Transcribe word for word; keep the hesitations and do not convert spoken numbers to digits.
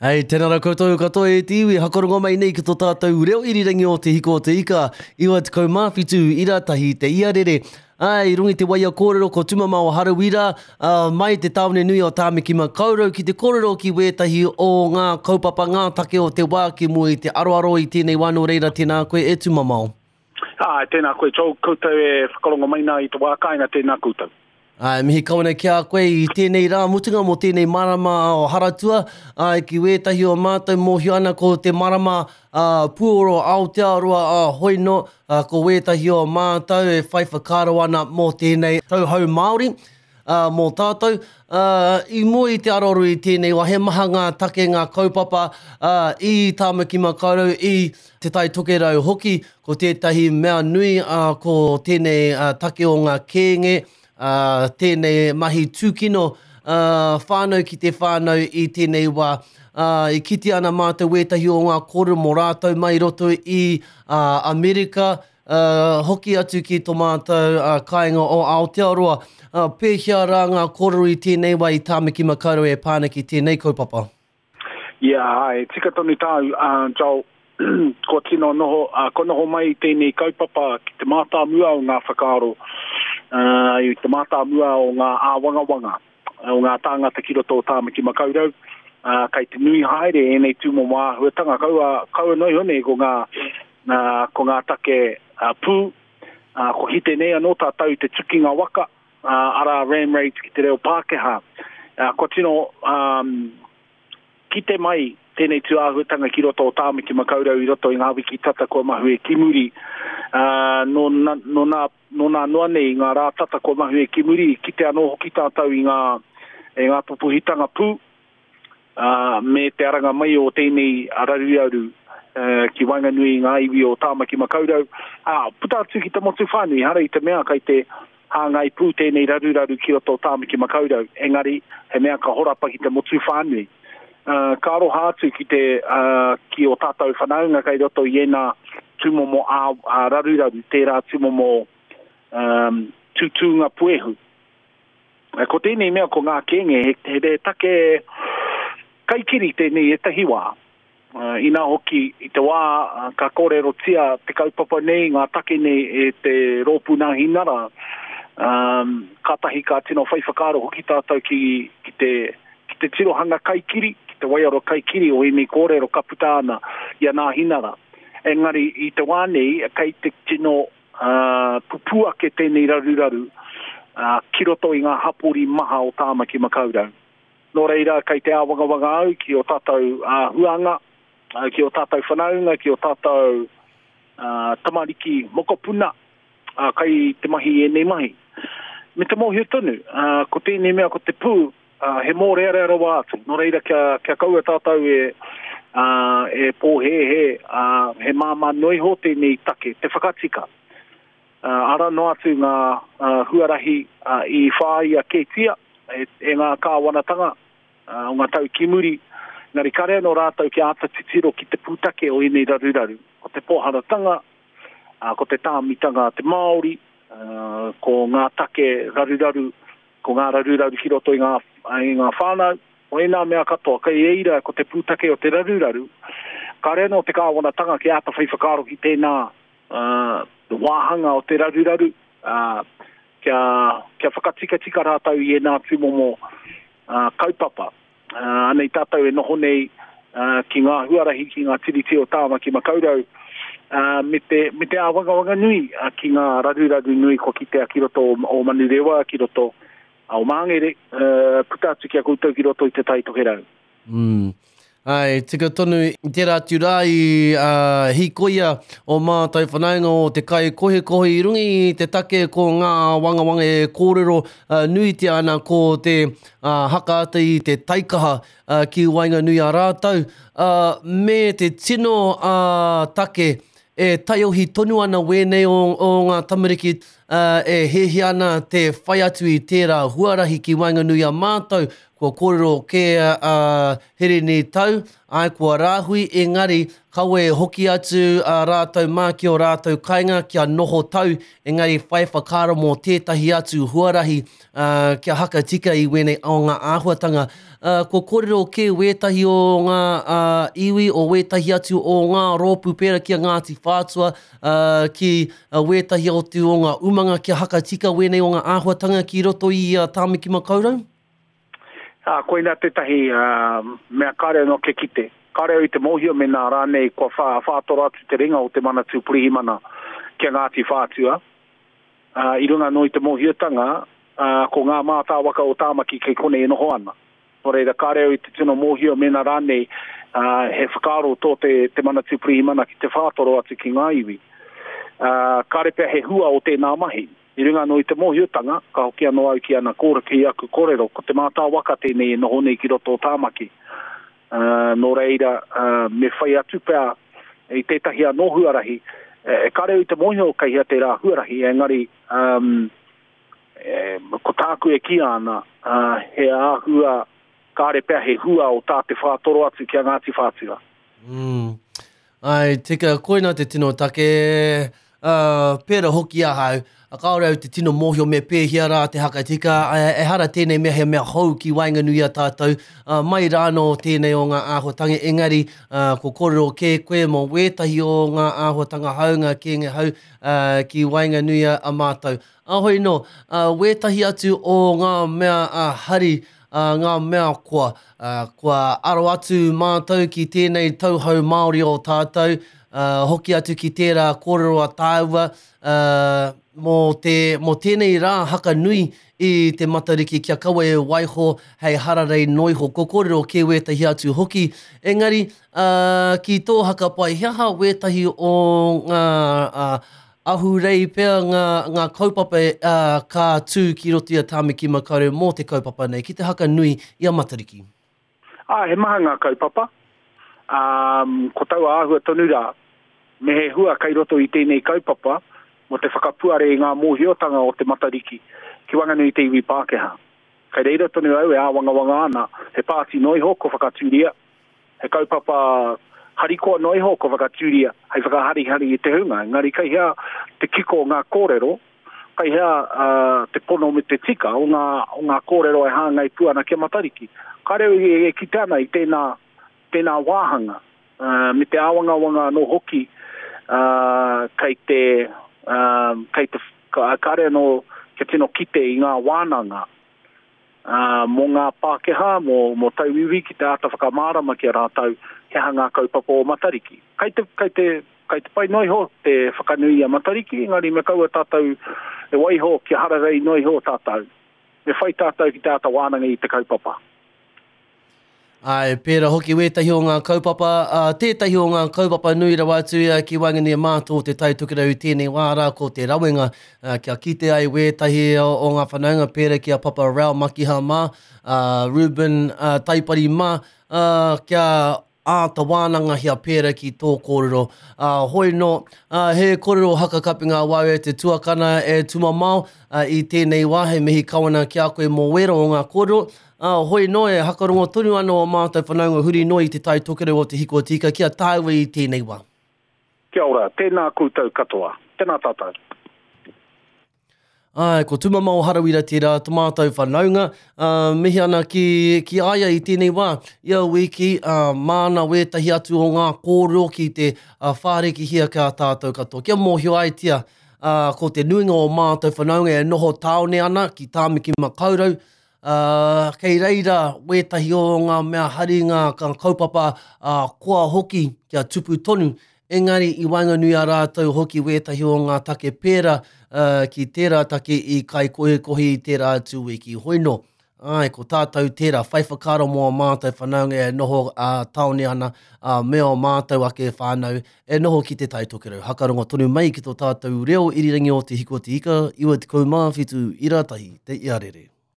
Hei, tēnā rā koutou katoa e te iwi, hakarongo mai nei ki tō tātou reo irirangi o Te Hiko o Te Ika, iwa tekau mā whitu, ira tahi te iarere. Ai, i runga i te waia kōrero ko Tumamao Harawira, uh, mai te tāone nui o Tāmaki Makaurau ki te kōrero ki wētahi o ngā kaupapa ngā take o te wā ki mua i te aroaro i tēnei wā, nō reira tēnā koe e Tumamao. Ā, tēnā koe, Joel, koutou e whakarongo mai nā i te wā kāinga, tēnā koutou. Ā, mihi kau ana ki a koe i tēnei rā mutunga mō tēnei marama o Haratua, ā, ki wētahi o mātou mōhio ana ko te marama ā, puoro Aotearoa ā, hoi nō, ā, ko wētahi o mātou e whai whakaaro ana mō tēnei tauhou Māori, ā, mō tātou. Ā, i mua i te aroaro i tēnei wā, he maha ngā take, ngā kaupapa, ā, i Tāmaki Makaurau, i Te Tai Tokerau hoki, ko tētahi mea nui, ā, ko tēnei ā, take o ngā kēnge, ā, tēnei mahi tūkino, ā, whānau ki te whānau i tēnei wā. Ā, i kite ana mātou wētahi o ngā kōrero mō rātou mai i roto i ā, Amerika, ā, hoki atu ki tō mātou ā, kāinga o Aotearoa. Ā, pēhea rā ngā kōrero i tēnei wā i Tāmaki Makaurau e pā ana ki tēnei kaupapa? Yeah, āe, tika tonu tāu, ā, Joel, kua tino noho, ā, kua noho mai tēnei kaupapa ki te mātāmua o ngā whakaaro, ā, i te mātāmua o ngā āwangawanga o ngā tāngata ki roto o Tāmaki Makaurau, ā, kei te nui haere ēnei tūmomo āhuatanga, kaua, kaua noa iho nei ko ngā, ā, ko ngā take ā, pū, ā, kua kite nei anō tātou i te tukinga waka, ā, arā ram raids ki te reo Pākehā. Ā, kua tino, ā, kite mai tēnei tūāhuatanga ki roto o Tāmaki Makaurau i roto i ngā wiki tata kua mahue ki muri. Ā, nō, nō, nā, nō nā noa nei, ngā rā tata kua mahue ki muri, kite anō hoki tātou i ngā, i ngā pupuhitanga pū, ā, me te aranga mai o tēnei raruraru ki waenganui i ngā iwi o Tāmaki Makaurau. Ā, puta atu ki te motu whānui, ehara i te mea kei te hāngai pū tēnei raruraru ki roto o Tāmaki Makaurau, engari he mea ka horapa ki te motu whānui. Uh, ka aroha atu ki te uh, ki o tātou whanaunga kei roto i ēnā tūmomo ā, ā raruraru, tērā tūmomo um, tūtūnga puehu. Ko tēnei mea ko ngā kēnge, he, he, he take kaikiri tēnei ētahi wā. Uh, inā hoki i te wā uh, ka kōrerotia te kaupapa nei, ngā take nei e te rōpū Nāhinara, um, kātahi ka tino whai whakaaro hoki tātou ki, ki te, ki te tirohanga kaikiri, ki te waiaro kaikiri o ēnei kōrero ka puta ana i a Nāhinara. Engari i te wā nei, kei te tino uh, pupū ake tēnei raruraru uh, ki roto i ngā hapori maha o Tāmaki Makaurau. Nō reira, kei te āwangawanga au ki o tātou uh, huanga, uh, ki o tātou whanaunga, ki o tātou uh, tamariki mokopuna, uh, kai te mahi ēnei mahi. Me te mōhio tonu, uh, ko tēnei mea ko te pū, uh, he mōrearea rawa atu. Nō reira, kia, kia kaua tātou e, uh, e pōhēhē, uh, he māmā noa iho tēnei take, te whakatika. Uh, ara noa atu ngā uh, huarahi uh, i whāia kētia e, e ngā kāwanatanga uh, o ngā tau ki muri. Engari kare anō rātou kia āta titiro ki te pūtake o ēnei raruraru. Ko te pōharatanga, uh, ko te tāmitanga a te Māori, uh, ko ngā take raruraru, ko ngā raruraru ki roto i ngā, i ngā whānau, o ēnā mea katoa, kei eira ko te pūtake o te raruraru, kare anō te kāwanatanga kia āta whai whakaaro ki tēnā uh, wāhanga o te raruraru, uh, kia, kia whakatikatika rātou i ēnā tūmomo uh, kaupapa. Uh, anei tātou e noho nei uh, ki ngā huarahi, ki ngā tiriti o Tāmaki Makaurau, uh, me te, me te āwangawanga nui uh, ki ngā raruraru nui kua kitea ki roto o, o Manurewa, ki roto o Māngere, uh, puta atu ki a koutou ki roto i Te Tai Tokerau. Mm. Ai, tika tonu, i tērā atu rā i uh, hīkoia o mātou whanaunga o te kai kohikohe i runga i te take ko ngā wangawanga e kōrero uh, nuitia ana ko te uh, hakaata i te taikaha uh, ki waenganui a rātou, uh, me te tino uh, take e taiohi tonu ana wēnei o, o ngā tamariki uh, e hiahia ana te whai atu i tērā huarahi ki waenganui a mātou, kua kōrero kē uh, Hirini Tau, ai kua rāhui, engari kawe hoki atu uh, rātou mā ki o rātou kainga kia noho tau, engari whai whakaaro mō tētahi atu huarahi uh, kia hakatika i wēnei o ngā āhuatanga. uh, ko kōrero kē wētahi o ngā uh, iwi o wētahi atu o ngā rōpū pērā ki a Ngāti Whātua, uh, ki uh, wētahi o te o ngā umanga kia hakatika wēnei o ngā āhuatanga ki roto i uh, Tāmaki Makaurau? Ā, koina tētahi uh, mea kāre anō ke kite. Kāre au i te mōhio mēnā rānei kua whā, whātoro atu te ringa o te Manatū Pirihimana ki a Ngāti Whātua. Uh, i runga anō i te mōhiotanga, uh, ko ngā mātāwaka o Tāmaki kei konei e noho ana. Nō reira, kāre au i te tino mōhio mēnā rānei uh, he whakaaro tō te, te Manatū Pirihimana ki te whātoro atu ki ngā iwi. Uh, kāre pea he hua o tēnā mahi. I runga anō i te mōhiotanga, ka hoki anō au ki ana kōrero, ki aku kōrero, ko te mātāwaka tēnei e noho nei ki roto o Tāmaki. Uh, nō reira, uh, me whai atu pea i tētahi anō huarahi, e kāre au i te mōhio kei hea tērā huarahi, engari um, e, ko tāku e kī ana, uh, he āhua, kāre pea he hua o tā te whātoro atu ki a Ngāti Whātua. Mm. Ai, tika, koina te tino take, uh, pērā hoki ahau, kāore au te tino mōhio me pēhea rā te hakatika, ehara tēnei mea he mea hou ki waenganui a tātou, uh, mai rānō tēnei o ngā āhuatanga, engari uh, ko kōrero kē koe mō wētahi o ngā āhuatanga hau, ngā kēnge hau uh, ki waenganui a mātou. Ahoi nō, uh, wētahi atu o ngā mea uh, hari, uh, ngā mea kua, uh, kua aro atu mātou ki tēnei tauhou Māori o tātou, uh, hoki atu ki tērā kōrero a tāua, uh, mō, te, mō tēnei rā haka nui i te Matariki kia kaua e waiho hei hararei noiho. Ko kōrero kē wētahi atu hoki. Engari, uh, ki tō hakapai, he aha wētahi o ngā uh, ahurei pea ngā, ngā kaupapa uh, ka tū ki roto i a Tāmaki Makaurau mō te kaupapa nei, ki te haka nui i a Matariki? Ah, he maha ngā kaupapa. Um, ko taua āhua tonu rā, me he hua kei roto i tēnei kaupapa, mō te whakapuare i ngā mōhiotanga o te Matariki ki waenganui te iwi Pākehā. Kei reira tonu au e āwangawanga ana, he pāti noiho ko whakatūria, he kaupapa harikoa noiho ko whakatūria, hei whakaharihari i te hunga. Engari kei hea te kiko o ngā kōrero, kei hea uh, te pono me te tika o ngā, o ngā kōrero e hāngai pū ana ki a Matariki. Kāre au e, e kite ana i tēnā, tēnā wāhanga, uh, me te āwangawanga anō hoki uh, kei te Um, kei te kāre anō kia tino kite i ngā wānanga uh, mō ngā Pākehā, mō, mō tauiwi ki te āta whakamārama ki a rātou he aha ngā kaupapa o Matariki. Kei te, kei te, kei te pai noiho te whakanui i a Matariki, engari me kaua tātou e waiho kia hararei noiho tātou. Me whai tātou ki te āta wānanga i te kaupapa. Ai, pērā hoki wētahi o ngā kaupapa, uh, tētahi o ngā kaupapa nui rawa atu uh, ki waenganui a mātou o te Tai Tokerau i tēnei wā rā ko te rawenga, uh, kia kite ai wētahi o, o ngā whanaunga pērā ki a Papa Rau Makiha mā, uh, Ruben uh, Taipari mā, uh, kia āta wānangahia pērā ki tō kōrero. Uh, hoi nō, uh, he kōrero hakakapinga wau e te tuakana e tumamao uh, i tēnei wā, he mihi kawana ki a koe mō wera o ngā kōrero. Uh, hoi nō e hakarongo tonu anō o mātou whanaunga huri noa i te Tai Tokerau o te Hiko Tika kia tāua i tēnei wā. Kia ora, tēnā koutou katoa. Tēnā tātou. Ai, ko Tumamao Harawira tērā tō mātou whanaunga, uh, mihi ana ki, ki aia i tēnei wā. Ia wiki, uh, māna wētahi atu o ngā kōrero ki te uh, whārekihia kia tātou katoa. Kia mōhio aitia, uh, ko te nuinga o mātou whanaunga e noho tāone ana ki Tāmaki Makaurau, Uh, kei reira wētahi o ngā mea hari ngā kaupapa uh, koa hoki kia tupu tonu, engari i waenganui a rātou hoki wētahi o ngā take pērā uh, ki tērā take i kaikohikohi i tērā atu wiki. Hoi nō, ai, ko tātou tērā, whai whakaaro mō a mātou whanaunga e noho uh, tāone ana, uh, me o mātou ake whānau e noho ki te Tai Tokerau. Hakarongo tonu mai ki tō tātou reo irirangi o te Hiko Te Ika, iwa tekau mā whitu ira tahi, te iarere.